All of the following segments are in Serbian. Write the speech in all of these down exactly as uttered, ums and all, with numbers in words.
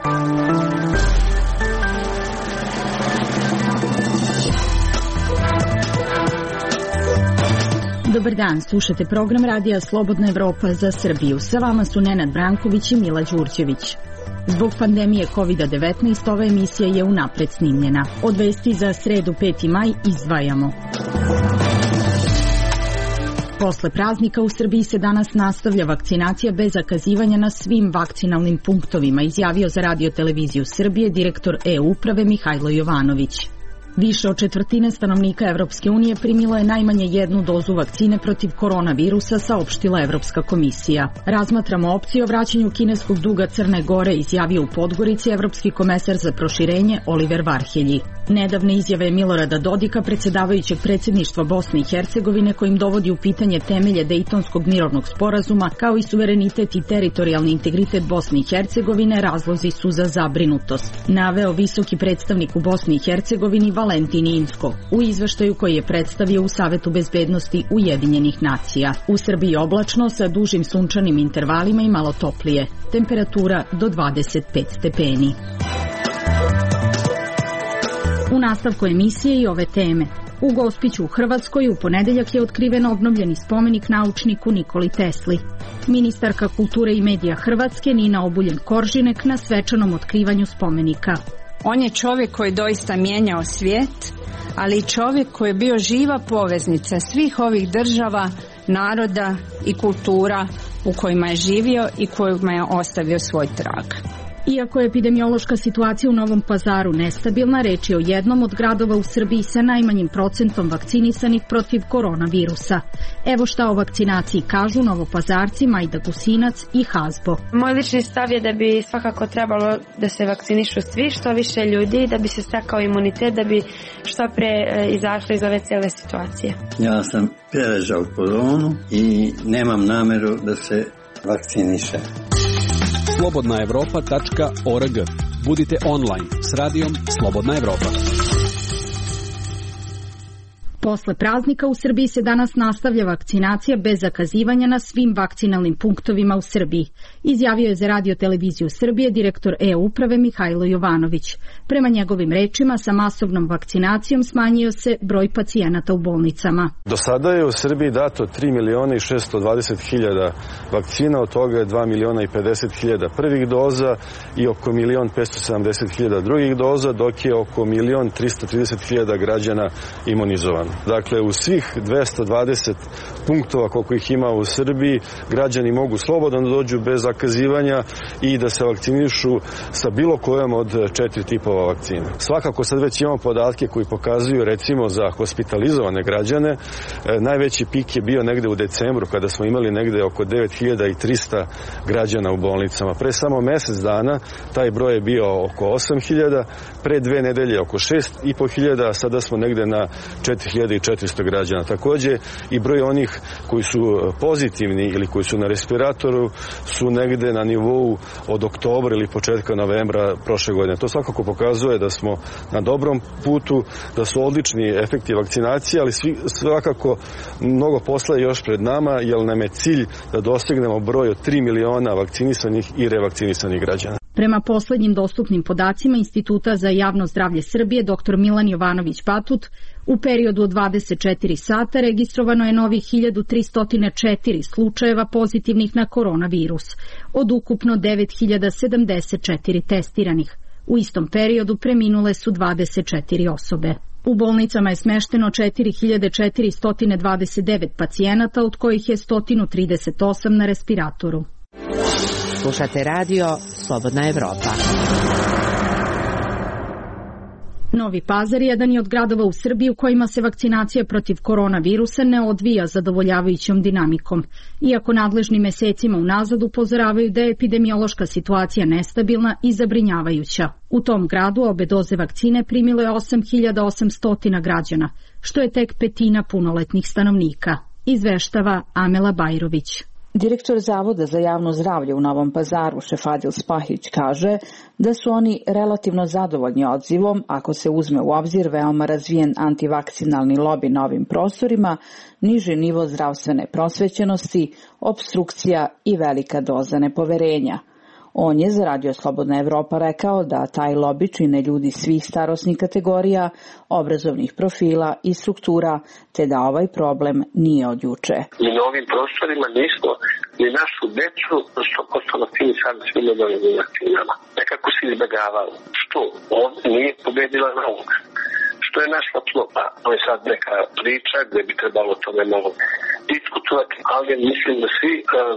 Dobar dan, slušate program Radija Slobodna Evropa za Srbiju. Sa vama su Nenad Branković i Mila Đurđević. Zbog pandemije kovid devetnaest ova emisija je unapred snimljena. Od vesti za sredu peti maj izdvajamo. Posle praznika u Srbiji se danas nastavlja vakcinacija bez zakazivanja na svim vakcinalnim punktovima, izjavio za Radio televiziju Srbije direktor e-uprave Mihajlo Jovanović. Više od četvrtine stanovnika Evropske unije primilo je najmanje jednu dozu vakcine protiv koronavirusa, saopštila Evropska komisija. Razmatramo opciju o vraćanju kineskog duga Crne Gore, izjavio u Podgorici evropski komesar za proširenje Oliver Varhelji. Nedavne izjave Milorada Dodika, predsjedavajućeg predsjedništva Bosne i Hercegovine, kojim dovodi u pitanje temelje Dejtonskog mirovnog sporazuma, kao i suverenitet i teritorijalni integritet Bosne i Hercegovine, razlozi su za zabrinutost, naveo visoki predstavnik u Bosni i Hercegovini Valentin Inzko u izveštaju koji je predstavio u Savetu bezbednosti Ujedinjenih nacija. U Srbiji oblačno sa dužim sunčanim intervalima i malo toplije. Temperatura do dvadeset pet stepeni. U nastavku emisije i ove teme. U Gospiću u Hrvatskoj u ponedeljak je otkriven obnovljeni spomenik naučniku Nikoli Tesli. Ministarka kulture i medija Hrvatske Nina Obuljen-Koržinek na svečanom otkrivanju spomenika. On je čovjek koji je doista mijenjao svijet, ali i čovjek koji je bio živa poveznica svih ovih država, naroda i kultura u kojima je živio i kojima je ostavio svoj trag. Iako je epidemiološka situacija u Novom Pazaru nestabilna, reč je o jednom od gradova u Srbiji sa najmanjim procentom vakcinisanih protiv koronavirusa. Evo šta o vakcinaciji kažu Novopazarci Majda Gusinac i Hazbo. Moj lični stav je da bi svakako trebalo da se vakcinišu svi, što više ljudi, da bi se stekao imunitet, da bi što pre izašli iz ove cijele situacije. Ja sam preležao koronu i nemam nameru da se vakciniše. slobodna evropa tačka org. Budite online s radijom Slobodna Evropa. Posle praznika u Srbiji se danas nastavlja vakcinacija bez zakazivanja na svim vakcinalnim punktovima u Srbiji, izjavio je za Radio televiziju Srbije direktor e-uprave Mihajlo Jovanović. Prema njegovim rečima, sa masovnom vakcinacijom smanjio se broj pacijenata u bolnicama. Do sada je u Srbiji dato tri miliona i šesto dvadeset hiljada vakcina, od toga je dva miliona i pedeset hiljada prvih doza i oko milion petsto sedamdeset hiljada drugih doza, dok je oko milion tristo trideset hiljada građana imunizovano. Dakle, u svih dvesta dvadeset punktova koliko ih ima u Srbiji, građani mogu slobodno da dođu bez zakazivanja i da se vakcinišu sa bilo kojom od četiri tipova vakcina. Svakako sad već imamo podatke koji pokazuju, recimo za hospitalizovane građane, najveći pik je bio negde u decembru kada smo imali negde oko devet hiljada trista građana u bolnicama. Pre samo mesec dana taj broj je bio oko osam hiljada, pre dve nedelje oko šest i po hiljada, a sada smo negde na četiri hiljade četiristo građana. Takođe i broj onih koji su pozitivni ili koji su na respiratoru su negde na nivou od oktobra ili početka novembra prošle godine. To svakako pokazuje da smo na dobrom putu, da su odlični efekti vakcinacije, ali svi, svakako mnogo posla je još pred nama, jer nam je cilj da dostignemo broj od tri miliona vakcinisanih i revakcinisanih građana. Prema poslednjim dostupnim podacima Instituta za javno zdravlje Srbije, dr Milan Jovanović Batut, u periodu od dvadeset četiri sata registrovano je novih hiljadu tristo četiri slučajeva pozitivnih na koronavirus, od ukupno devet hiljada sedamdeset četiri testiranih. U istom periodu preminule su dvadeset četiri osobe. U bolnicama je smešteno četiri hiljade četiristo dvadeset devet pacijenata, od kojih je sto trideset osam na respiratoru. Slušate radio Slobodna Evropa. Novi Pazar je jedan od gradova u Srbiji u kojima se vakcinacija protiv koronavirusa ne odvija zadovoljavajućom dinamikom, iako nadležni mesecima unazad upozoravaju da je epidemiološka situacija nestabilna i zabrinjavajuća. U tom gradu obe doze vakcine primilo je osam hiljada osamsto građana, što je tek petina punoletnih stanovnika, izveštava Amela Bajrović. Direktor Zavoda za javno zdravlje u Novom Pazaru, Šefadil Spahić, kaže da su oni relativno zadovoljni odzivom ako se uzme u obzir veoma razvijen antivakcinalni lobi na ovim prostorima, niži nivo zdravstvene prosvećenosti, opstrukcija i velika doza nepoverenja. On je za Radio Slobodna Evropa rekao da taj lobi čine ljudi svih starosnih kategorija, obrazovnih profila i struktura, te da ovaj problem nije od juče. Mi na ovim prostorima nismo ni našu decu sto posto vakcinisali svim obaveznim vakcinama. Nekako se izbjegavalo. Što? Ovdje nije pobedila nauka. Što je našla tlo? Pa to je sad neka priča gdje bi trebalo tome malo diskutovati, ali mislim da svi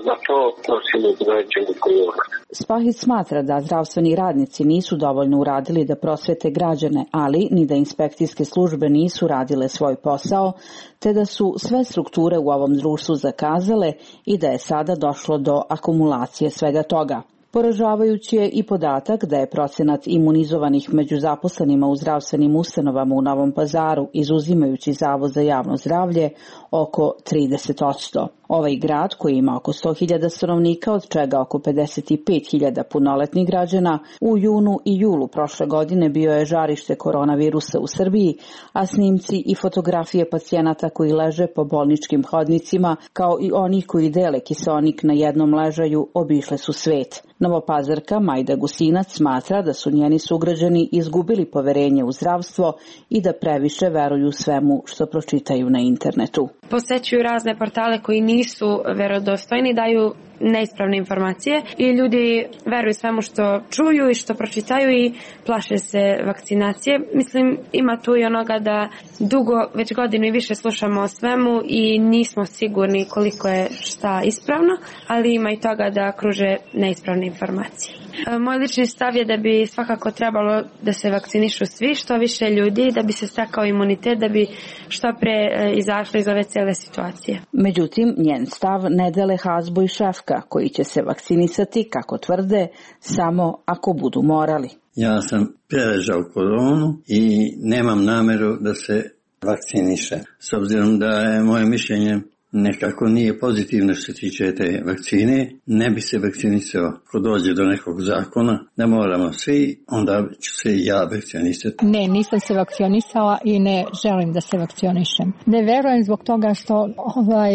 za to nosimo određenu odgovornost. Spahić smatra da zdravstveni radnici nisu dovoljno uradili da prosvete građane, ali ni da inspekcijske službe nisu radile svoj posao, te da su sve strukture u ovom društvu zakazale i da je sada došlo do akumulacije svega toga. Poražavajući je i podatak da je procenat imunizovanih među zaposlenima u zdravstvenim ustanovama u Novom Pazaru, izuzimajući Zavod za javno zdravlje, oko trideset posto. Ovaj grad, koji ima oko sto hiljada stanovnika, od čega oko pedeset pet hiljada punoletnih građana, u junu i julu prošle godine bio je žarište koronavirusa u Srbiji, a snimci i fotografije pacijenata koji leže po bolničkim hodnicima, kao i onih koji dele kiseonik na jednom ležaju, obišle su svet. Novopazarka Majda Gusinac smatra da su njeni sugrađani izgubili poverenje u zdravstvo i da previše veruju svemu što pročitaju na internetu. Posećuju razne portale koji nisu verodostojni, daju neispravne informacije i ljudi veruju svemu što čuju i što pročitaju i plaše se vakcinacije. Mislim, ima tu i onoga da dugo, već godinu i više slušamo o svemu i nismo sigurni koliko je šta ispravno, ali ima i toga da kruže neispravne informacije. Moj lični stav je da bi svakako trebalo da se vakcinišu svi, što više ljudi, da bi se stekao imunitet, da bi što pre izašli iz ove cele situacije. Međutim, njen stav ne dele Hazbo i Šefka, koji će se vakcinisati, kako tvrde, samo ako budu morali. Ja sam preležao koronu i nemam nameru da se vakciniše. S obzirom da je moje mišljenje nekako nije pozitivno što se tiče te vakcine, ne bi se vakcinisao. Ako dođe do nekog zakona da moramo svi, onda ću se i ja vakcinisati. Ne, nisam se vakcinisala i ne želim da se vakcinišem. Ne verujem zbog toga što ovaj,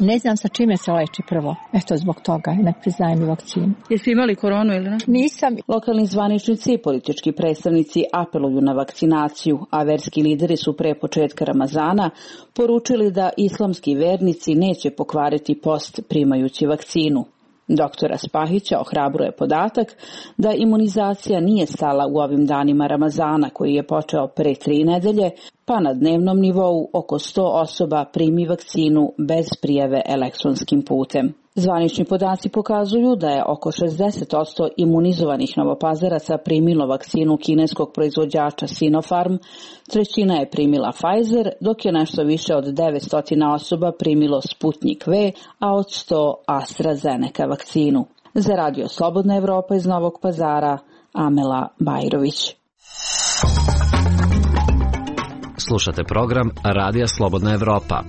ne znam sa čime se leči prvo. Eto zbog toga, ne priznajem i vakcinu. Jesi imali koronu ili ne? Nisam. Lokalni zvaničnici i politički predstavnici apeluju na vakcinaciju, a verski lideri su pre početka Ramazana poručili da islamski vernici neće pokvariti post primajući vakcinu. Doktora Spahića ohrabruje podatak da imunizacija nije stala u ovim danima Ramazana, koji je počeo pre tri nedelje, pa na dnevnom nivou oko sto osoba primi vakcinu bez prijave elektronskim putem. Zvanični podaci pokazuju da je oko šezdeset posto imunizovanih Novopazaraca primilo vakcinu kineskog proizvođača Sinopharm, trećina je primila Pfizer, dok je nešto više od devetsto osoba primilo Sputnik V, a od sto AstraZeneca vakcinu. Za Radio Slobodna Evropa iz Novog Pazara, Amela Bajrović. Slušate program Radija Slobodna Evropa.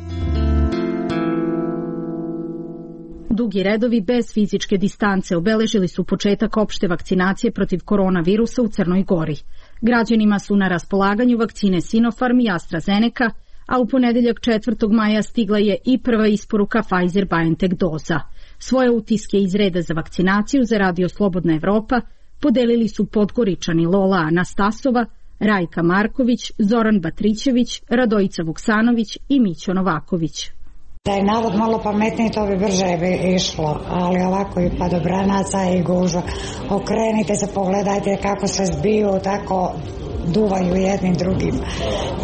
Dugi redovi bez fizičke distance obeležili su početak opšte vakcinacije protiv koronavirusa u Crnoj Gori. Građanima su na raspolaganju vakcine Sinopharm i AstraZeneca, a u ponedeljak četvrtog maja stigla je i prva isporuka Pfizer-BioNTech doza. Svoje utiske iz reda za vakcinaciju za Radio Slobodna Evropa podelili su Podgoričani Lola Anastasova, Rajka Marković, Zoran Batrićević, Radojica Vuksanović i Mićo Novaković. Da je narod malo pametniji, to bi brže bi išlo, ali ovako i padobranaca i gužva. Okrenite se, pogledajte kako se zbiju, tako duvaju jednim drugim.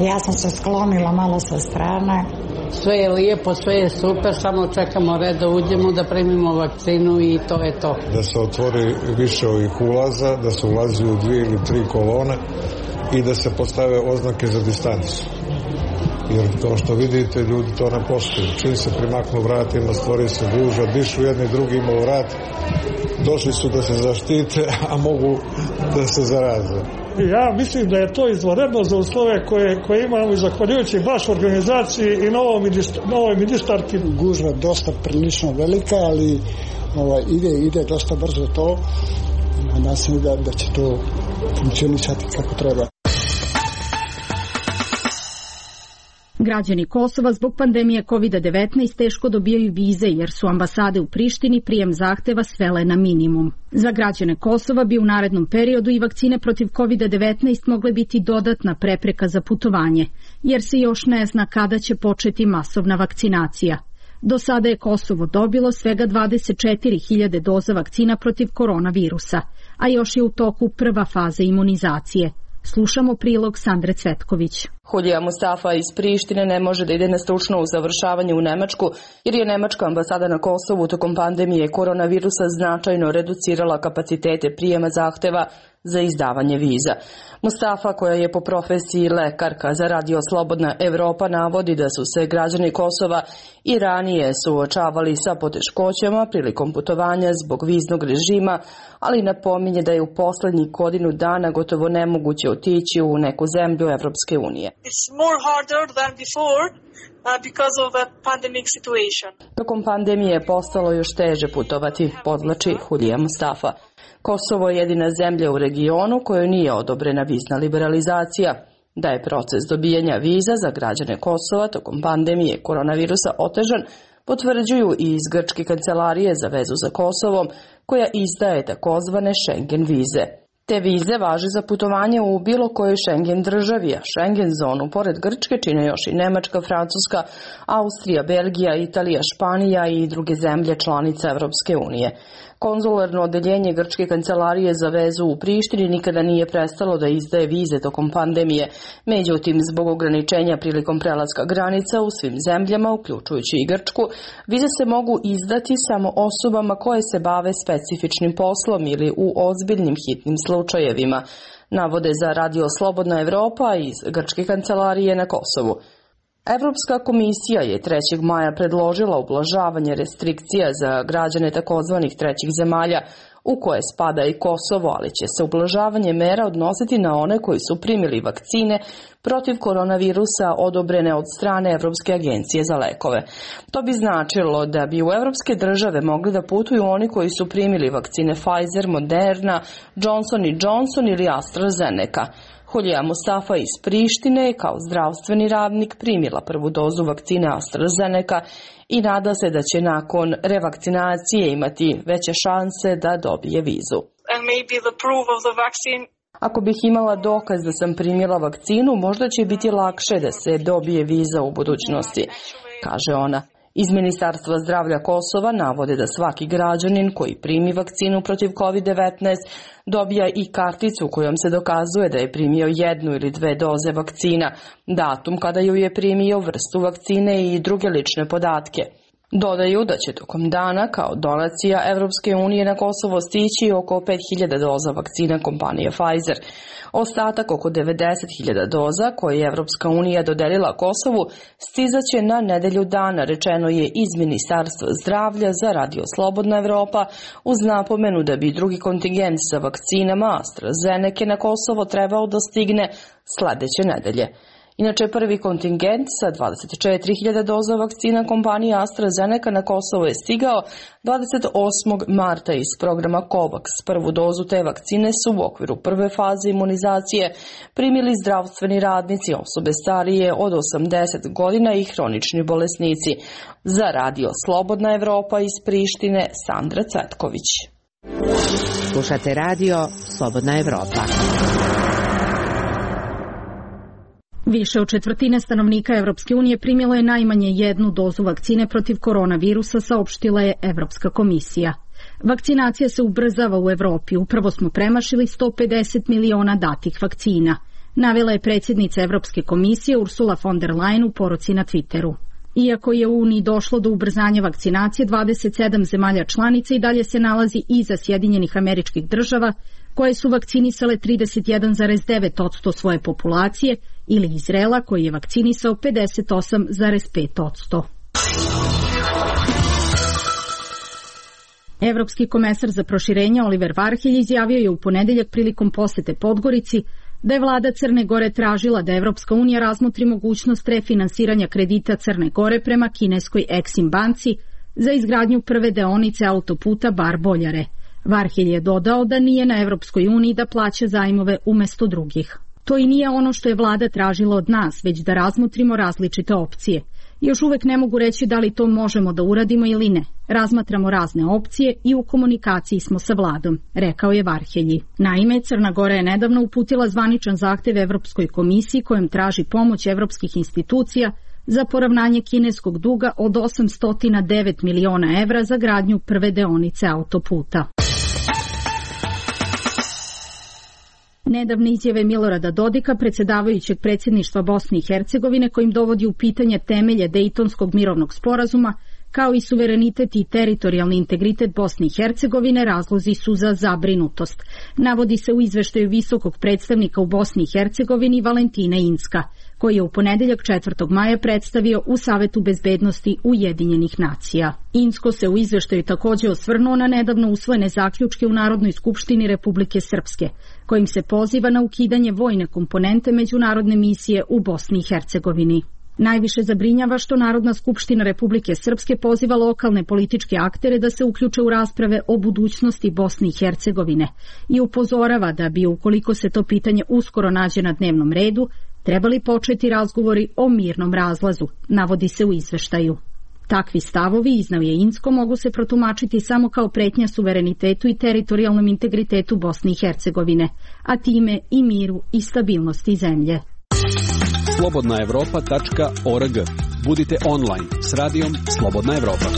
Ja sam se sklonila malo sa strane. Sve je lijepo, sve je super, samo čekamo red da uđemo, da primimo vakcinu i to je to. Da se otvori više ovih ulaza, da se ulazi u dvije ili tri kolone i da se postave oznake za distancu. Jer kao što vidite, ljudi to ne poštuju. Čim se primaknu vratima, stvori se gužva, dišu jedni drugima u vrat, došli su da se zaštite, a mogu da se zaraze. Ja mislim da je to izvanredno za uslove koje, koje imamo i zahvaljujući baš organizaciji i novoj ministar, ministarki. Gužva dosta prilično velika, ali ovaj, ide, ide dosta brzo to. Nadam se da, da će to funkcionisati kako treba. Građani Kosova zbog pandemije kovid devetnaest teško dobijaju vize jer su ambasade u Prištini prijem zahteva svele na minimum. Za građane Kosova bi u narednom periodu i vakcine protiv kovid devetnaest mogle biti dodatna prepreka za putovanje, jer se još ne zna kada će početi masovna vakcinacija. Do sada je Kosovo dobilo svega dvadeset četiri hiljade doza vakcina protiv koronavirusa, a još je u toku prva faza imunizacije. Slušamo prilog Sandre Cvetković. Hulija Mustafa iz Prištine ne može da ide na stručno usavršavanje u Nemačku jer je Nemačka ambasada na Kosovu tokom pandemije koronavirusa značajno reducirala kapacitete prijema zahteva za izdavanje viza. Mustafa, koja je po profesiji lekarka za Radio Slobodna Evropa, navodi da su se građani Kosova i ranije suočavali sa poteškoćama prilikom putovanja zbog viznog režima, ali napominje da je u poslednjih godinu dana gotovo nemoguće otići u neku zemlju Evropske unije. It's more harder than before uh, because of the pandemic situation. Tokom pandemije je postalo još teže putovati, podvlači Hulija Mustafa. Kosovo je jedina zemlja u regionu kojoj nije odobrena vizna liberalizacija. Da je proces dobijanja viza za građane Kosova tokom pandemije koronavirusa otežan, potvrđuju i iz Grčke kancelarije za vezu za Kosovom, koja izdaje takozvane Schengen vize. Te vize važe za putovanje u bilo kojoj Schengen državi, a Schengen zonu pored Grčke čine još i Nemačka, Francuska, Austrija, Belgija, Italija, Španija i druge zemlje članice Evropske unije. Konzularno odeljenje Grčke kancelarije za vezu u Prištini nikada nije prestalo da izdaje vize tokom pandemije. Međutim, zbog ograničenja prilikom prelaska granica u svim zemljama, uključujući i Grčku, vize se mogu izdati samo osobama koje se bave specifičnim poslom ili u ozbiljnim hitnim slučajevima, navode za Radio Slobodna Evropa iz Grčke kancelarije na Kosovu. Evropska komisija je trećeg maja predložila ublažavanje restrikcija za građane takozvanih trećih zemalja, u koje spada i Kosovo, ali će se ublažavanje mera odnositi na one koji su primili vakcine protiv koronavirusa odobrene od strane Evropske agencije za lekove. To bi značilo da bi u evropske države mogli da putuju oni koji su primili vakcine Pfizer, Moderna, Johnson and Johnson ili AstraZeneca. Hulija Mustafa iz Prištine kao zdravstveni radnik primila prvu dozu vakcine AstraZeneca i nada se da će nakon revakcinacije imati veće šanse da dobije vizu. Ako bih imala dokaz da sam primila vakcinu, možda će biti lakše da se dobije viza u budućnosti, kaže ona. Iz Ministarstva zdravlja Kosova navode da svaki građanin koji primi vakcinu protiv kovid devetnaest dobija i karticu kojom se dokazuje da je primio jednu ili dve doze vakcina, datum kada ju je primio, vrstu vakcine i druge lične podatke. Dodaju da će tokom dana kao donacija Evropske unije na Kosovo stići oko pet hiljada doza vakcina kompanije Pfizer. Ostatak oko devedeset hiljada doza koje je Evropska unija dodelila Kosovu stizaće na nedelju dana, rečeno je iz Ministarstva zdravlja za Radio Slobodna Evropa, uz napomenu da bi drugi kontingent sa vakcinama AstraZeneca na Kosovo trebao da stigne sledeće nedelje. Inače, prvi kontingent sa dvadeset četiri hiljade doza vakcina kompanije AstraZeneca na Kosovo je stigao dvadeset osmog marta iz programa COVAX. Prvu dozu te vakcine su u okviru prve faze imunizacije primili zdravstveni radnici, osobe starije od osamdeset godina i hronični bolesnici. Za Radio Slobodna Evropa iz Prištine, Sandra Cvetković. Slušate Radio Slobodna Evropa. Više od četvrtine stanovnika Evropske unije primilo je najmanje jednu dozu vakcine protiv koronavirusa, saopštila je Evropska komisija. Vakcinacija se ubrzava u Evropi, upravo smo premašili sto pedeset miliona datih vakcina, navela je predsjednica Evropske komisije Ursula von der Leyen u poruci na Twitteru. Iako je u Uniji došlo do ubrzanja vakcinacije, dvadeset sedam zemalja članica i dalje se nalazi iza Sjedinjenih Američkih Država, koje su vakcinisale trideset jedan zarez devet posto svoje populacije, ili Izraela koji je vakcinisao pedeset osam zarez pet posto. Evropski komesar za proširenje Oliver Varhelj izjavio je u ponedeljak prilikom posete Podgorici da je vlada Crne Gore tražila da Evropska unija razmotri mogućnost refinansiranja kredita Crne Gore prema kineskoj Exim banci za izgradnju prve deonice autoputa Bar-Boljare. Varhelj je dodao da nije na Evropskoj uniji da plaća zajmove umesto drugih. To i nije ono što je vlada tražila od nas, već da razmotrimo različite opcije. Još uvek ne mogu reći da li to možemo da uradimo ili ne. Razmatramo razne opcije i u komunikaciji smo sa vladom, rekao je Varhelji. Naime, Crna Gora je nedavno uputila zvaničan zahtev Evropskoj komisiji kojom traži pomoć evropskih institucija za poravnanje kineskog duga od osamsto devet miliona evra za gradnju prve deonice autoputa. Nedavne izjave Milorada Dodika, predsjedavajućeg predsjedništva Bosne i Hercegovine, kojim dovodi u pitanje temelje Dejtonskog mirovnog sporazuma, kao i suverenitet i teritorijalni integritet Bosne i Hercegovine, razlozi su za zabrinutost. Navodi se u izveštaju visokog predstavnika u Bosni i Hercegovini Valentina Inzka, koji je u ponedeljak četvrtog maja predstavio u Savetu bezbednosti Ujedinjenih nacija. Inzko se u izveštaju također osvrnuo na nedavno usvojene zaključke u Narodnoj skupštini Republike Srpske, kojim se poziva na ukidanje vojne komponente međunarodne misije u Bosni i Hercegovini. Najviše zabrinjava što Narodna skupština Republike Srpske poziva lokalne političke aktere da se uključe u rasprave o budućnosti Bosne i Hercegovine i upozorava da bi, ukoliko se to pitanje uskoro nađe na dnevnom redu, trebali početi razgovori o mirnom razlazu, navodi se u izveštaju. Takvi stavovi, iznao je Inzko, mogu se protumačiti samo kao pretnja suverenitetu i teritorijalnom integritetu Bosne i Hercegovine, a time i miru i stabilnosti zemlje. slobodna evropa tačka org. Budite online s radijom Slobodna Evropa.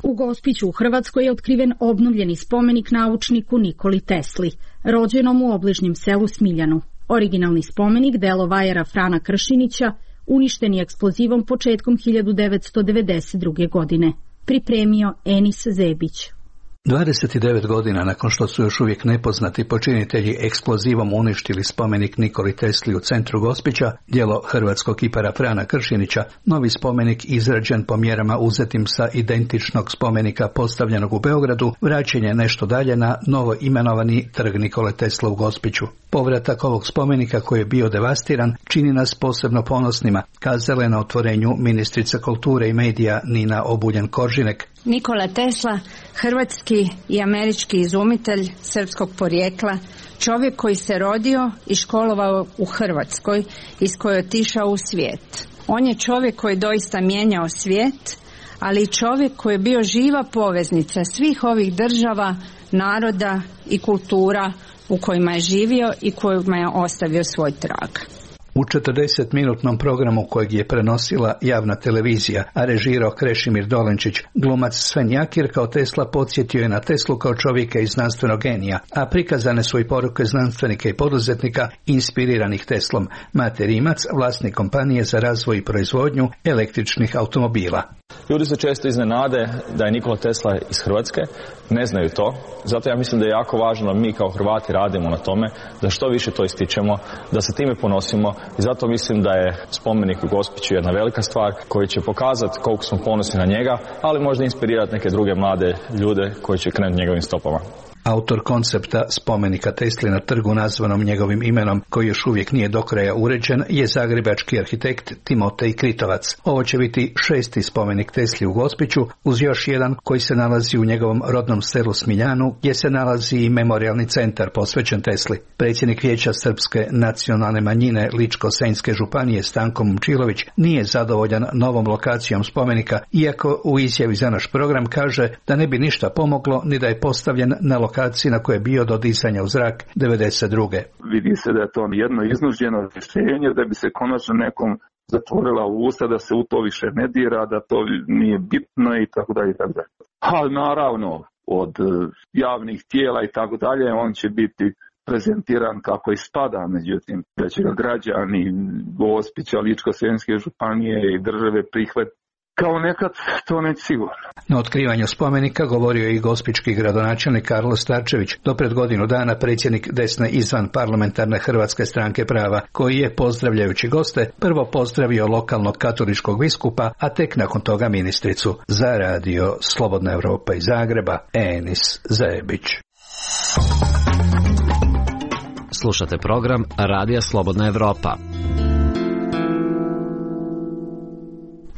U Gospiću u Hrvatskoj je otkriven obnovljeni spomenik naučniku Nikoli Tesli, rođenom u obližnjem selu Smiljanu. Originalni spomenik, delo vajara Frana Kršinića, uništen je eksplozivom početkom hiljadu devetsto devedeset druge. godine. Pripremio Enis Zebić. dvadeset devet godina nakon što su još uvijek nepoznati počinitelji eksplozivom uništili spomenik Nikoli Tesli u centru Gospića, djelo hrvatskog kipara Frana Kršinića, novi spomenik izrađen po mjerama uzetim sa identičnog spomenika postavljenog u Beogradu, vraćen je nešto dalje na novo imenovani trg Nikole Tesla u Gospiću. Povratak ovog spomenika koji je bio devastiran čini nas posebno ponosnima, kazala je na otvorenju ministrica kulture i medija Nina Obuljen-Koržinek. Nikola Tesla, hrvatski i američki izumitelj srpskog porijekla, čovjek koji se rodio i školovao u Hrvatskoj, iz koje je otišao u svijet. On je čovjek koji je doista mijenjao svijet, ali i čovjek koji je bio živa poveznica svih ovih država, naroda i kultura u kojima je živio i kojima je ostavio svoj trag. U četrdesetminutnom programu kojeg je prenosila javna televizija, a režirao Krešimir Dolenčić, glumac Sven Jakir kao Tesla podsjetio je na Teslu kao čovjeka i znanstvenog genija, a prikazane su i poruke znanstvenika i poduzetnika inspiriranih Teslom. Mate Rimac, vlasnik kompanije za razvoj i proizvodnju električnih automobila. Ljudi se često iznenade da je Nikola Tesla iz Hrvatske, ne znaju to, zato ja mislim da je jako važno da mi kao Hrvati radimo na tome, da što više to ističemo, da se time ponosimo i zato mislim da je spomenik u Gospiću jedna velika stvar koji će pokazati koliko smo ponosni na njega, ali možda inspirirati neke druge mlade ljude koji će krenuti njegovim stopama. Autor koncepta spomenika Tesli na trgu nazvanom njegovim imenom, koji još uvijek nije do kraja uređen, je zagrebački arhitekt Timotej Kritovac. Ovo će biti šesti spomenik Tesli u Gospiću, uz još jedan koji se nalazi u njegovom rodnom selu Smiljanu, gdje se nalazi i memorijalni centar posvećen Tesli. Predsjednik Vijeća Srpske nacionalne manjine Ličko-senjske županije Stanko Momčilović nije zadovoljan novom lokacijom spomenika, iako u izjavi za naš program kaže da ne bi ništa pomoglo ni da je postavljen na lokaciji na koje je bio do disanja u zrak devedeset druge. Vidi se da je to jedno iznuđeno rješenje, da bi se konačno nekom zatvorila usta, da se u to više ne dira, da to nije bitno i tako dalje i tako dalje. Ali naravno, od javnih tijela i tako dalje, on će biti prezentiran kako i spada, međutim, da će ga građani Gospića, Ličko-senjske županije i države prihvatiti kao nekad, to neće sigurno. Na otkrivanju spomenika govorio je i gospički gradonačelnik Karlo Starčević, do pred godinu dana predsjednik desne izvan parlamentarne Hrvatske stranke prava, koji je, pozdravljajući goste, prvo pozdravio lokalnog katoličkog biskupa, a tek nakon toga ministricu. Za radio Slobodna Evropa iz Zagreba, Enis Zebić. Slušate program Radija Slobodna Evropa.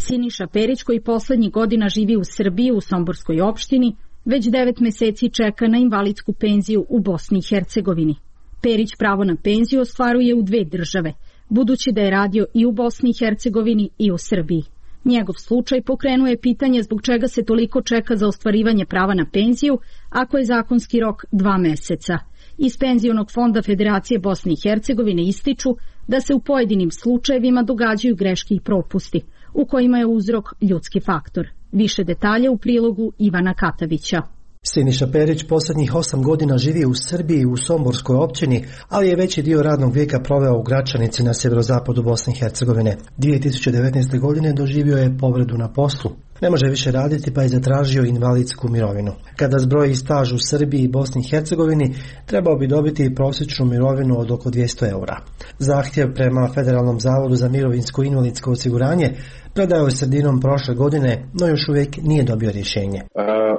Siniša Perić, koji poslednjih godina živi u Srbiji u Somborskoj opštini, već devet meseci čeka na invalidsku penziju u Bosni i Hercegovini. Perić pravo na penziju ostvaruje u dve države, budući da je radio i u Bosni i Hercegovini i u Srbiji. Njegov slučaj pokrenuo je pitanje zbog čega se toliko čeka za ostvarivanje prava na penziju, ako je zakonski rok dva meseca. Iz Penzionog fonda Federacije Bosne i Hercegovine ističu da se u pojedinim slučajevima događaju greške i propusti, u kojima je uzrok ljudski faktor. Više detalja u prilogu Ivana Katavića. Siniša Perić posljednjih osam godina živi u Srbiji u Somborskoj općini, ali je veći dio radnog vijeka proveo u Gračanici na sjeverozapadu Bosne i Hercegovine. dvije tisuće devetnaeste. godine doživio je povredu na poslu. Ne može više raditi pa je zatražio invalidsku mirovinu. Kada zbroji staž u Srbiji i Bosni i Hercegovini, trebao bi dobiti prosječnu mirovinu od oko dvjesto eura. Zahtjev prema Federalnom zavodu za mirovinsko i invalidsko osiguranje predao je sredinom prošle godine, no još uvijek nije dobio rješenje. E,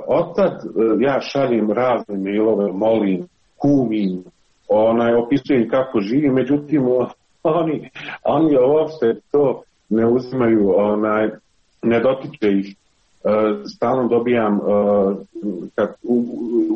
Otad ja šaljem razne mailove, molim, kumim, onaj, opisujem kako živim, međutim oni, oni uopšte to ne uzimaju, onaj, ne dotiče ih. Stalno dobijam kad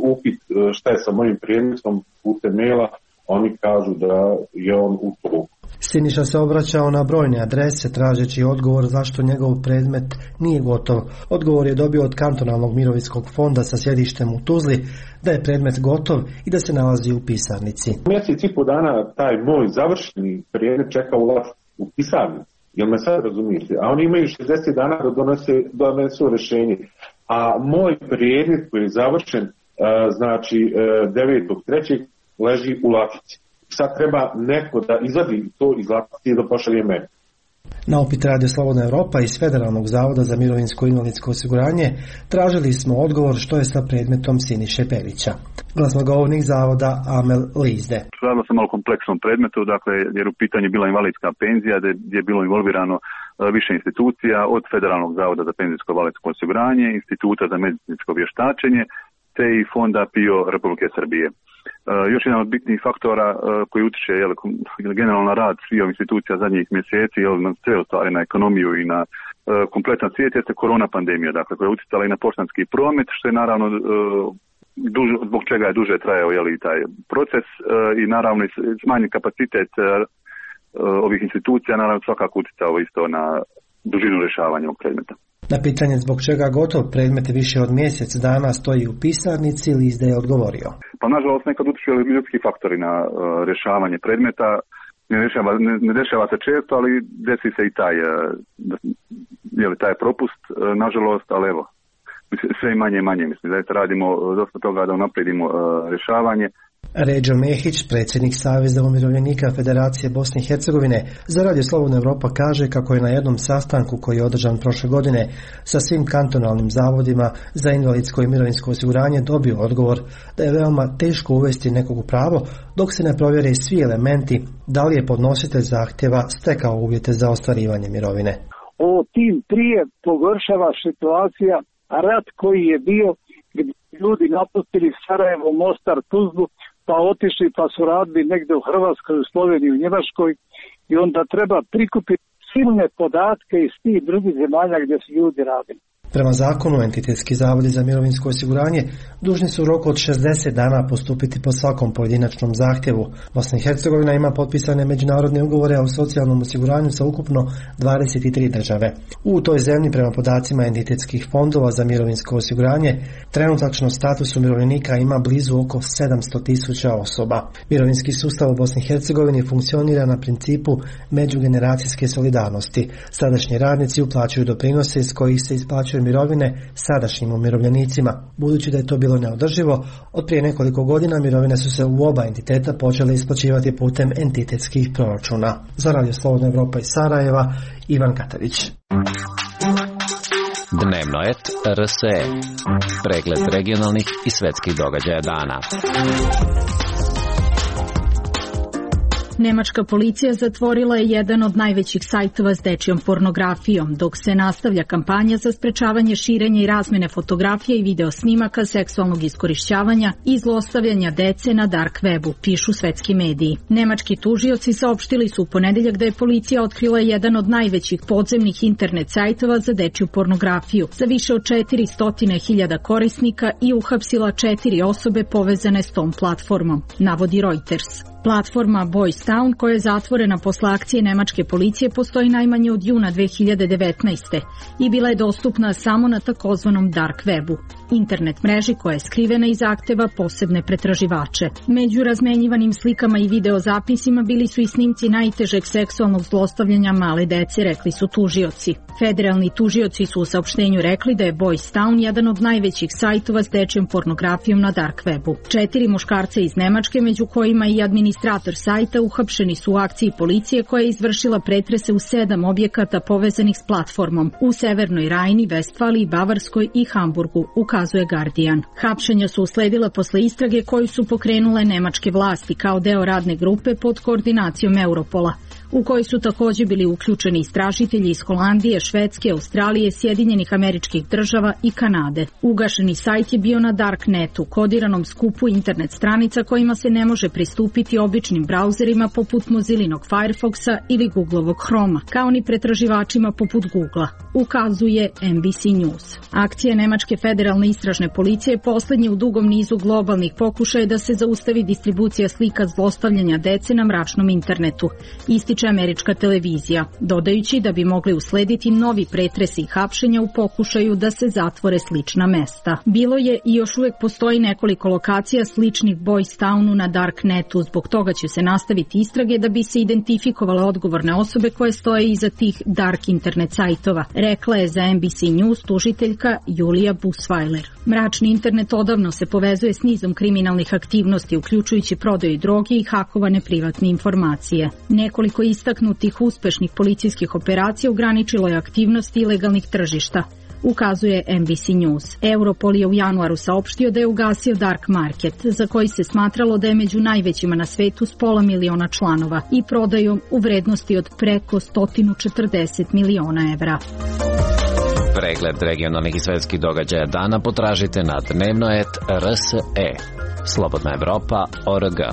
upit šta je sa mojim predmetom putem maila, oni kažu da je on u toku. Siniša se obraćao na brojne adrese tražeći odgovor zašto njegov predmet nije gotov. Odgovor je dobio od kantonalnog mirovinskog fonda sa sjedištem u Tuzli da je predmet gotov i da se nalazi u pisarnici. Mjesec i po dana taj moj završeni predmet čeka u, u pisarnici. Jel me sad razumijete? A oni imaju šezdeset dana da donese, donesu rješenje. A moj predmet koji je završen, znači devetog trećeg leži u latici. Sad treba neko da izvadi to iz latice i da pošalje meni. Na upit Radio Slobodna Evropa iz Federalnog zavoda za mirovinsko i invalidsko osiguranje tražili smo odgovor što je sa predmetom Siniše Perića. Glasnogovornik zavoda Amel Lizde. Radilo se malo kompleksnom predmetu, dakle, jer u pitanju je bila invalidska penzija, gdje je bilo involvirano više institucija, od Federalnog zavoda za penzijsko i invalidsko osiguranje, Instituta za medicinsko vještačenje, te i Fonda P I O Republike Srbije. Uh, još jedan od bitnih faktora uh, koji utiče jel, generalno na rad svih institucija zadnjih mjeseci, jel, na sve ostvari, na ekonomiju i na uh, kompletan svijet, jeste korona pandemija, dakle, koja je utjecala i na poštanski promet, što je naravno uh, duž, zbog čega je duže trajao jel, i taj proces uh, i naravno smanjen kapacitet uh, ovih institucija, naravno svakako utjecao isto na dužinu rješavanja ovog predmeta. Na pitanje zbog čega gotov predmet više od mjesec dana stoji u pisarnici, Lizde je odgovorio. Pa nažalost nekad utiču ljudski faktori na uh, rješavanje predmeta. Ne dešava, ne, ne dešava se često, ali desi se i taj, uh, jeli, taj propust, uh, nažalost, ali evo, sve i manje i manje. Mislim, zaista radimo dosta toga da unaprijedimo uh, rješavanje. Ređo Mehić, predsjednik Saveza umirovljenika Federacije Bosne i Hercegovine, za Radio Slobodna Evropa kaže kako je na jednom sastanku koji je održan prošle godine sa svim kantonalnim zavodima za invalidsko i mirovinsko osiguranje dobio odgovor da je veoma teško uvesti nekog u pravo dok se ne provjere svi elementi da li je podnositelj zahtjeva stekao uvjete za ostvarivanje mirovine. Ovo tim prije pogoršava situacija, a rat koji je bio gdje ljudi napustili Sarajevo, Mostar, Tuzlu, pa otišli pa su radili negdje u Hrvatskoj, u Sloveniji, u Njemačkoj i onda treba prikupiti silne podatke iz tih drugih zemalja gdje su ljudi radili. Prema zakonu, entitetski zavodi za mirovinsko osiguranje dužni su u roku od šezdeset dana postupiti po svakom pojedinačnom zahtjevu. Bosna i Hercegovina ima potpisane međunarodne ugovore o socijalnom osiguranju sa ukupno dvadeset tri države. U toj zemlji, prema podacima entitetskih fondova za mirovinsko osiguranje, trenutačno status umirovljenika ima blizu oko sedamsto tisuća osoba. Mirovinski sustav u Bosni i Hercegovini funkcionira na principu međugeneracijske solidarnosti. Sadašnji radnici uplaćuju doprinose iz kojih se isplaćuju mirovine sadašnjim umirovljenicima. Budući da je to bilo neodrživo, od prije nekoliko godina mirovine su se u oba entiteta počele isplaćivati putem entitetskih proračuna. Za Radio Slobodna Evropa iz Sarajeva, Ivan Katavić. Dnevno et R S E. Pregled regionalnih i svetskih događaja dana. Nemačka policija zatvorila je jedan od najvećih sajtova s dečjom pornografijom, dok se nastavlja kampanja za sprečavanje širenja i razmjene fotografija i video snimaka seksualnog iskorišćavanja i zlostavljanja dece na dark webu, pišu svetski mediji. Nemački tužioci saopštili su u ponedeljak da je policija otkrila jedan od najvećih podzemnih internet sajtova za dečju pornografiju sa više od četiristo hiljada korisnika i uhapsila četiri osobe povezane s tom platformom, navodi Reuters. Platforma Boys Town, koja je zatvorena posle akcije nemačke policije, postoji najmanje od juna dve hiljade devetnaeste. i bila je dostupna samo na takozvanom dark webu, internet mreži koja je skrivena i zahteva posebne pretraživače. Među razmenjivanim slikama i videozapisima bili su i snimci najtežeg seksualnog zlostavljanja male dece, rekli su tužioci. Federalni tužioci su u saopštenju rekli da je Boys Town jedan od najvećih sajtova s dečjom pornografijom na dark webu. Četiri muškarca iz Nemačke, među kojima i administrator sajta, uhapšeni su u akciji policije koja je izvršila pretrese u sedam objekata povezanih s platformom u Severnoj Rajni, Vestfaliji, Bavarskoj i Hamburgu, ukazuje Guardian. Hapšenja su usledila posle istrage koju su pokrenule nemačke vlasti kao deo radne grupe pod koordinacijom Europola, u kojoj su takođe bili uključeni istražitelji iz Holandije, Švedske, Australije, Sjedinjenih Američkih Država i Kanade. Ugašeni sajt je bio na Darknetu, kodiranom skupu internet stranica kojima se ne može pristupiti običnim brauzerima poput Mozilinog Firefoxa ili Googlovog Chroma, kao ni pretraživačima poput Googla, ukazuje N B C News. Akcija Nemačke federalne istražne policije je poslednji u dugom nizu globalnih pokušaja da se zaustavi distribucija slika zlostavljanja dece na mračnom internetu, ističe američka televizija, dodajući da bi mogli uslediti novi pretresi i hapšenja u pokušaju da se zatvore slična mesta. Bilo je i još uvek postoji nekoliko lokacija sličnih Boys Townu na Darknetu, zbog toga će se nastaviti istrage da bi se identifikovale odgovorne osobe koje stoje iza tih dark internet sajtova, rekla je za N B C News tužiteljka Julija Busweiler. Mračni internet odavno se povezuje s nizom kriminalnih aktivnosti, uključujući prodaju droge i hakovane privatne informacije. Nekoliko istaknutih uspešnih policijskih operacija ograničilo je aktivnosti ilegalnih tržišta, ukazuje N B C News. Europol je u januaru saopštio da je ugasio Dark Market, za koji se smatralo da je među najvećima na svetu s pola miliona članova i prodajom u vrednosti od preko sto četrdeset miliona evra. Pregled regionalnih i svetskih događaja dana potražite na dnevnoet R S E. Slobodna Evropa O R G.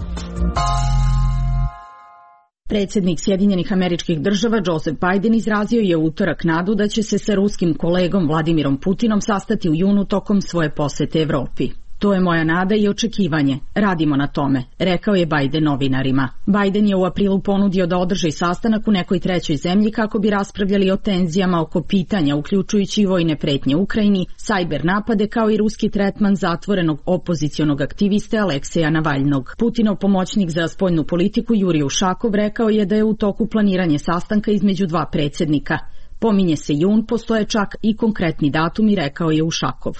Predsjednik Sjedinjenih Američkih Država Joseph Biden izrazio je u utorak nadu da će se sa ruskim kolegom Vladimirom Putinom sastati u junu tokom svoje posete Evropi. To je moja nada i očekivanje. Radimo na tome, rekao je Biden novinarima. Biden je u aprilu ponudio da održi sastanak u nekoj trećoj zemlji kako bi raspravljali o tenzijama oko pitanja, uključujući i vojne pretnje Ukrajini, sajber napade kao i ruski tretman zatvorenog opozicionog aktiviste Alekseja Navalnog. Putinov pomoćnik za spoljnu politiku Jurij Ušakov rekao je da je u toku planiranje sastanka između dva predsjednika. Pominje se jun, postoje čak i konkretni datumi, rekao je Ušakov.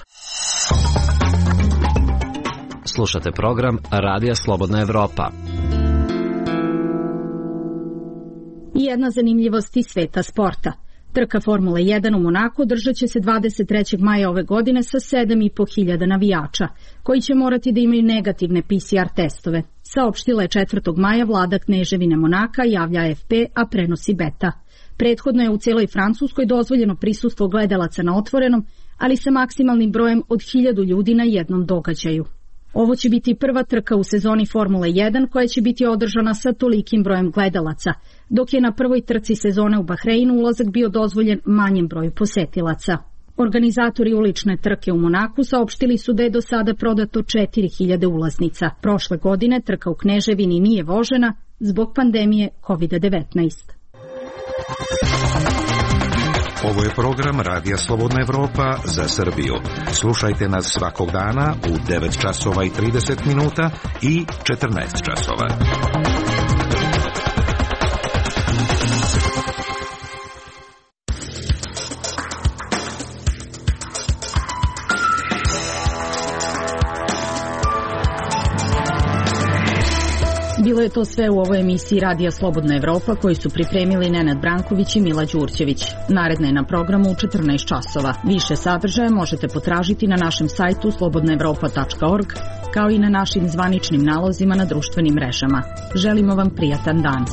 Slušate program Radija Slobodna Evropa. I jedna zanimljivost iz sveta sporta. Trka Formule jedan u Monaku držat će se dvadeset trećeg maja ove godine sa sedam i po hiljada navijača, koji će morati da imaju negativne P C R testove. Saopštila je četvrtog maja vlada Kneževine Monaka, javlja A F P, a prenosi Beta. Prethodno je u celoj Francuskoj dozvoljeno prisustvo gledalaca na otvorenom, ali sa maksimalnim brojem od hiljadu ljudi na jednom događaju. Ovo će biti prva trka u sezoni Formule jedan koja će biti održana sa tolikim brojem gledalaca, dok je na prvoj trci sezone u Bahreinu ulazak bio dozvoljen manjem broju posetilaca. Organizatori ulične trke u Monaku saopštili su da je do sada prodato četiri hiljade ulaznica. Prošle godine trka u Kneževini nije vožena zbog pandemije kovid devetnaest. Ovo je program Radija Slobodna Evropa za Srbiju. Slušajte nas svakog dana u devet časova i trideset minuta i četrnaest časova. Bilo je to sve u ovoj emisiji Radija Slobodna Evropa koju su pripremili Nenad Branković i Mila Đurćević. Naredna je na programu u četrnaest časova. Više sadržaja možete potražiti na našem sajtu slobodna evropa tačka org, kao i na našim zvaničnim nalozima na društvenim mrežama. Želimo vam prijatan dan.